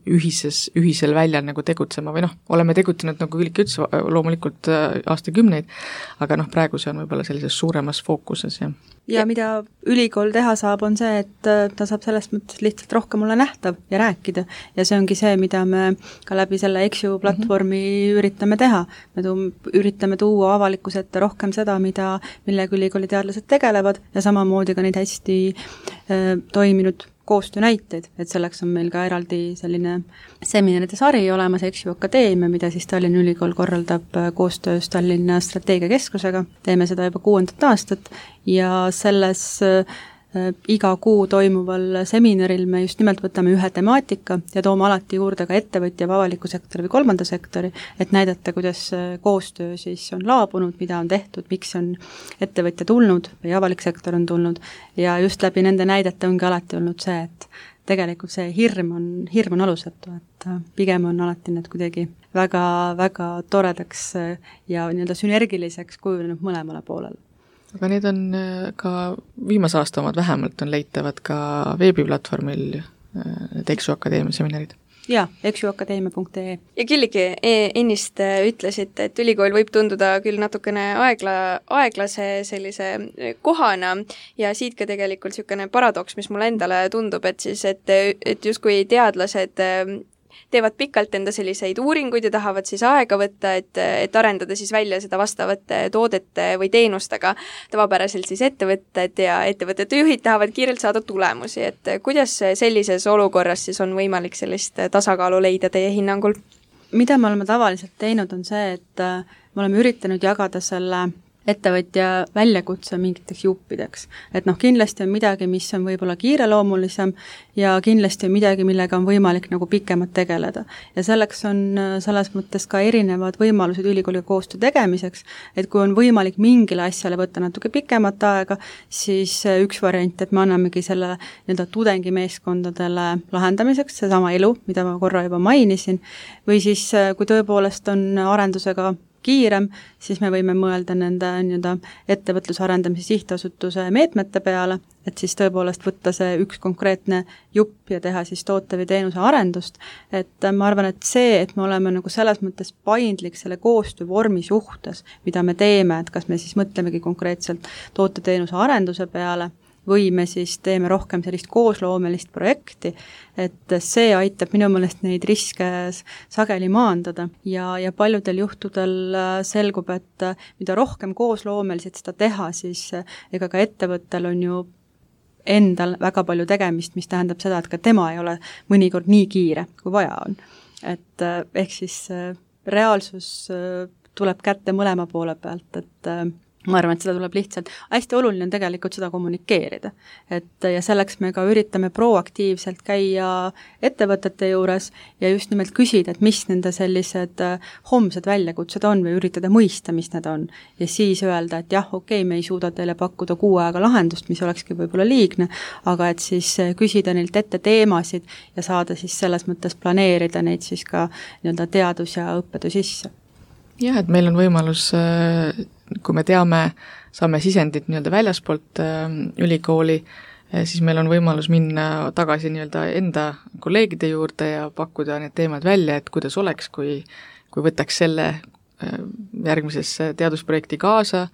ühisel väljal nagu tegutsema või oleme tegutsenud, nagu Külliki ütles, loomulikult aastakümneid, aga praegu see on võib-olla sellises suuremas fookuses. Ja mida ülikool teha saab, on see, et ta saab selles mõttes lihtsalt rohkem olla nähtav ja rääkida ja see ongi see, mida me ka läbi selle EXU platvormi üritame teha. Me üritame tuua avalikkuse ette rohkem seda, millega ülikooli teadlased tegelevad ja samamoodi ka neid hästi toiminud koostöö näiteid, et selleks on meil ka eraldi selline seminaride sari olemas EXU Akadeemia, mida siis Tallinna Ülikool korraldab koostöös Tallinna Strateegiakeskusega. Teeme seda juba 6. aastat ja selles iga kuu toimuval seminaril me just nimelt võtame ühe temaatika ja toome alati juurde ka ettevõtja, avaliku sektori või kolmanda sektori, et näidata, kuidas koostöö siis on laabunud, mida on tehtud, miks on ettevõtja tulnud või avalik sektor on tulnud ja just läbi nende näidete ongi alati olnud see, et tegelikult see hirm on alusetu, et pigem on alati need kuidagi väga toredaks ja nii-öelda sünergiliseks kujunenud mõlemale poolele. Aga need on ka viimase aasta omad vähemalt on leitavad ka veebiplatvormil EXU Akadeemia seminarid. Jaa, exuakadeemia.ee. Ja Külliki, ennist ütlesite, et ülikool võib tunduda küll natukene aeglase sellise kohana ja siit ka tegelikult niisugune paradoks, mis mulle endale tundub, et justkui teadlased teevad pikalt enda selliseid uuringuid ja tahavad siis aega võtta, et arendada siis välja seda vastavate toodete või teenustega. Tavapäraselt siis ettevõtted ja ettevõtete juhid tahavad kiirelt saada tulemusi, et kuidas sellises olukorras siis on võimalik sellist tasakaalu leida teie hinnangul? Mida me oleme tavaliselt teinud, on see, et me oleme üritanud jagada selle ettevõtja väljakutse mingiteks juppideks. Et kindlasti on midagi, mis on võib-olla kiireloomulisem ja kindlasti on midagi, millega on võimalik nagu pikemalt tegeleda. Ja selleks on selles mõttes ka erinevad võimalused ülikooliga koostöö tegemiseks, et kui on võimalik mingile asjale võtta natuke pikemat aega, siis üks variant, et me annamegi selle nii-öelda tudengimeeskondadele lahendamiseks, seesama elu, mida ma korra juba mainisin, või siis kui tõepoolest on arendusega kiirem, siis me võime mõelda nende nii-öelda ettevõtluse arendamise sihtasutuse meetmete peale, et siis tõepoolest võtta see üks konkreetne jupp ja teha siis toote või teenuse arendust. Et ma arvan, et see, et me oleme nagu selles mõttes paindlik selle koostöövormi suhtes, mida me teeme, et kas me siis mõtlemegi konkreetselt toote-teenuse arenduse peale või me siis teeme rohkem sellist koosloomelist projekti, et see aitab minu meelest neid riske sageli maandada ja paljudel juhtudel selgub, et mida rohkem koosloomeliselt seda teha, siis ega ka ettevõttel on ju endal väga palju tegemist, mis tähendab seda, et ka tema ei ole mõnikord nii kiire, kui vaja on. Et ehk siis reaalsus tuleb kätte mõlema poole pealt, et ma arvan, et seda tuleb lihtsalt, hästi oluline on tegelikult seda kommunikeerida. Ja selleks me ka üritame proaktiivselt käia ettevõtete juures ja just nimelt küsida, et mis nende sellised homsed väljakutsed on või üritada mõista, mis need on. Ja siis öelda, et jah, okei, me ei suuda teile pakkuda 6 aega lahendust, mis olekski võib-olla liigne, aga et siis küsida neilt ette teemasid ja saada siis selles mõttes planeerida neid siis ka nii-öelda teadus- ja õppetöö sisse. Jah, et meil on võimalus, kui me teame, saame sisendit nii-öelda väljaspoolt ülikooli, siis meil on võimalus minna tagasi nii-öelda enda kolleegide juurde ja pakkuda need teemad välja, et kuidas oleks, kui võtaks selle järgmisesse teadusprojekti kaasa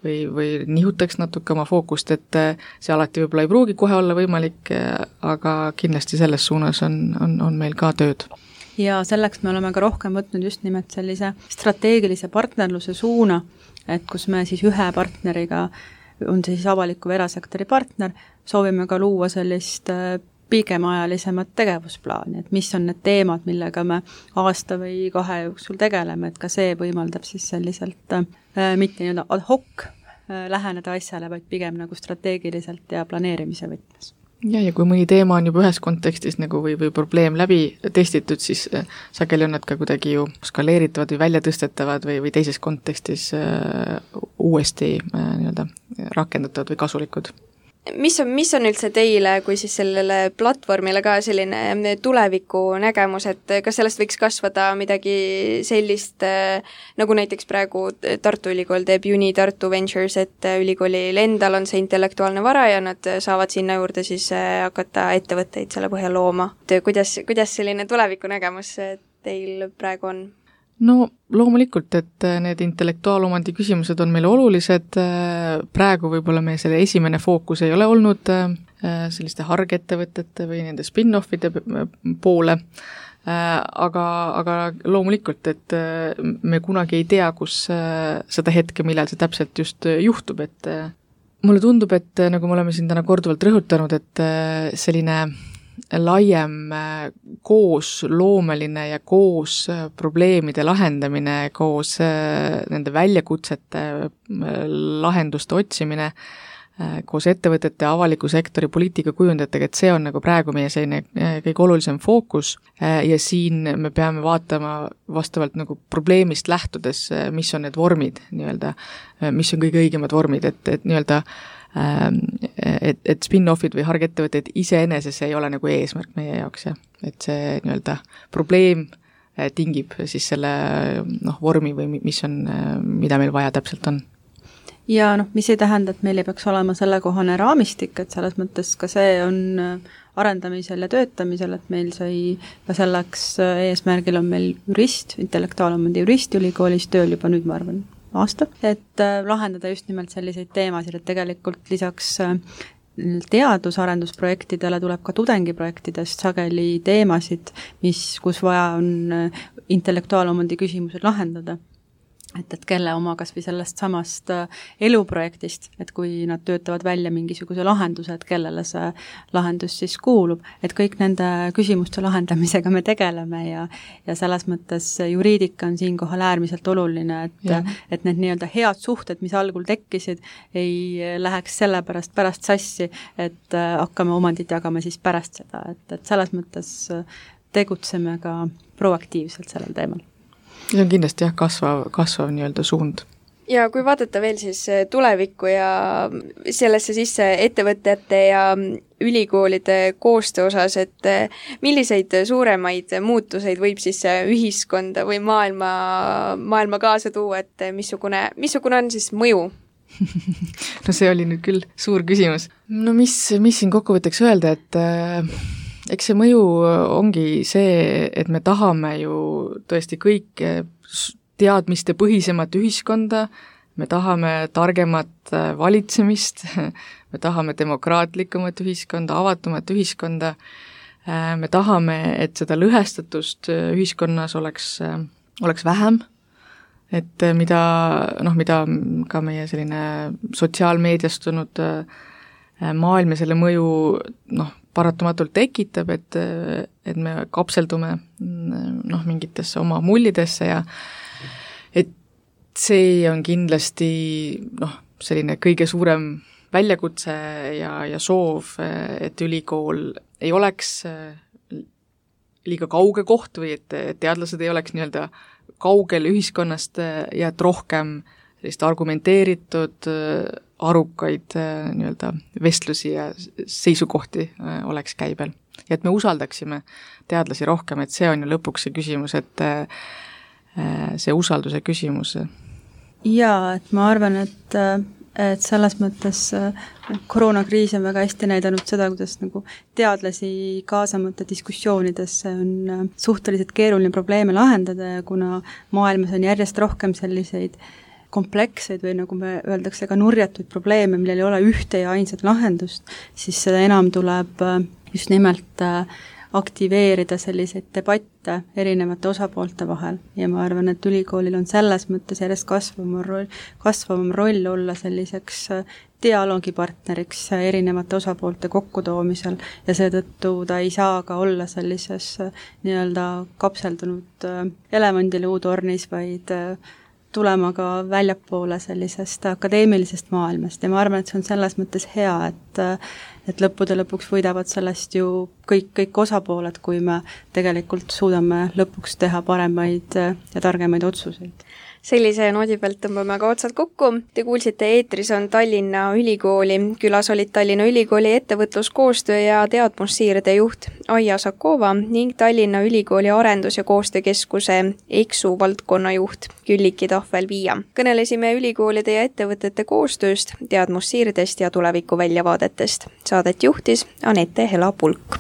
või nihutaks natuke oma fookust, et see alati võib-olla ei pruugi kohe olla võimalik, aga kindlasti selles suunas on meil ka tööd. Ja selleks me oleme ka rohkem võtnud just nimelt sellise strateegilise partnerluse suuna, et kus me siis ühe partneriga, on see siis avaliku või erasektori partner, soovime ka luua sellist pikemaajalisemat tegevusplaani, et mis on need teemad, millega me aasta või 2 jooksul tegeleme, et ka see võimaldab siis selliselt mitte nii-öelda ad hoc läheneda asjale, vaid pigem nagu strateegiliselt ja planeerimise võtmes. Ja kui mõni teema on juba ühes kontekstis nagu või probleem läbi testitud, siis sageli on nad ka kuidagi ju skaleeritavad või väljatõstetavad või teises kontekstis uuesti nii-öelda rakendatavad või kasulikud. Mis on üldse teile kui siis sellele platvormile ka selline tuleviku nägemus, et kas sellest võiks kasvada midagi sellist, nagu näiteks praegu Tartu Ülikool teeb Uni Tartu Ventures, et ülikoolil endal on see intellektuaalne vara ja nad saavad sinna juurde siis hakata ettevõtteid selle põhjal looma. Kuidas selline tuleviku nägemus teil praegu on? No loomulikult, et need intellektuaalomandi küsimused on meile olulised, praegu võib-olla meie selle esimene fookus ei ole olnud selliste hargettevõtete või nende spin-offide poole, aga loomulikult, et me kunagi ei tea, kus seda hetke, millal see täpselt just juhtub, et mulle tundub, et nagu me oleme siin täna korduvalt rõhutanud, et selline laiem koos loomeline ja koos probleemide lahendamine, koos nende väljakutsete lahenduste otsimine, koos ettevõtete, avaliku sektori poliitika kujundajatega, et see on nagu praegu meie selline kõige olulisem fookus ja siin me peame vaatama vastavalt nagu probleemist lähtudes, mis on need vormid nii-öelda, mis on kõige õigemad vormid, et nii-öelda et spin-offid või hargettevõtted iseeneses ei ole nagu eesmärk meie jaoks, ja et see nii-öelda probleem tingib siis selle vormi või mis on, mida meil vaja täpselt on. Ja mis ei tähenda, et meil ei peaks olema sellekohane raamistik, et selles mõttes ka see on arendamisel ja töötamisel, et meil sai ka selleks eesmärgil on meil jurist, intellektuaalomandi jurist ülikoolis tööl juba nüüd, ma arvan, aasta, et lahendada just nimelt selliseid teemasid, et tegelikult lisaks teadusarendusprojektidele tuleb ka tudengiprojektidest sageli teemasid, kus vaja on intellektuaalomandi küsimused lahendada. Et kelle oma kas või sellest samast eluprojektist, et kui nad töötavad välja mingisuguse lahenduse, et kellele see lahendus siis kuulub, et kõik nende küsimuste lahendamisega me tegeleme ja selles mõttes juriidika on siinkohal äärmiselt oluline, et need nii-öelda head suhted, mis algul tekkisid, ei läheks selle pärast sassi, et hakkame omandit jagama siis pärast seda, et selles mõttes tegutseme ka proaktiivselt sellel teemal. See on kindlasti kasvav nii-öelda suund. Ja kui vaadata veel siis tulevikku ja sellesse sisse ettevõtete ja ülikoolide koostöö osas, et milliseid suuremaid muutuseid võib siis ühiskonda või maailma kaasa tuua, et missugune on siis mõju? No see oli nüüd küll suur küsimus. No mis siin kokkuvõtteks öelda, et eks see mõju ongi see, et me tahame ju tõesti kõik teadmiste põhisemat ühiskonda, me tahame targemat valitsemist, me tahame demokraatlikumat ühiskonda, avatumat ühiskonda, me tahame, et seda lõhestatust ühiskonnas oleks vähem, et mida ka meie selline sotsiaalmeediastunud maailm ja selle mõju paratamatult tekitab, et me kapseldume mingitesse oma mullidesse ja et see on kindlasti selline kõige suurem väljakutse ja soov, et ülikool ei oleks liiga kauge koht või et teadlased ei oleks nii-öelda kaugel ühiskonnast ja et rohkem sellist argumenteeritud, arukaid nii-öelda vestlusi ja seisukohti oleks käibel. Ja et me usaldaksime teadlasi rohkem, et see on ju lõpuks see küsimus, et see usalduse küsimus. Jaa, et ma arvan, et selles mõttes koroonakriis on väga hästi näidanud seda, kuidas nagu teadlasi kaasamata diskussioonidesse on suhteliselt keeruline probleeme lahendada ja kuna maailmas on järjest rohkem selliseid kompleksseid või nagu me öeldakse ka nurjatuid probleeme, millel ei ole ühte ja ainsat lahendust, siis seda enam tuleb just nimelt aktiveerida selliseid debatte erinevate osapoolte vahel ja ma arvan, et ülikoolil on selles mõttes järjest kasvavam roll olla selliseks dialoogipartneriks erinevate osapoolte kokkutoomisel ja seetõttu ta ei saa ka olla sellises nii-öelda kapseldunud elevandiluutornis, vaid tulema ka väljapoole sellisest akadeemilisest maailmast ja ma arvan, et see on selles mõttes hea, et lõppude lõpuks võidavad sellest ju kõik osapooled, kui me tegelikult suudame lõpuks teha paremaid ja targemaid otsuseid. Sellise noodi pealt tõmbame ka otsad kokku. Te kuulsite, eetris on Tallinna Ülikooli. Külas olid Tallinna Ülikooli ettevõtluskoostöö ja teadmussiirde juht Aija Sakova ning Tallinna Ülikooli arendus- ja koostöökeskuse EKSU valdkonna juht Külliki Tahvel-Viia. Kõnelesime ülikoolide ja ettevõtete koostööst, teadmussiirdest ja tuleviku väljavaadetest. Saadet juhtis Anette Hela-Pulk.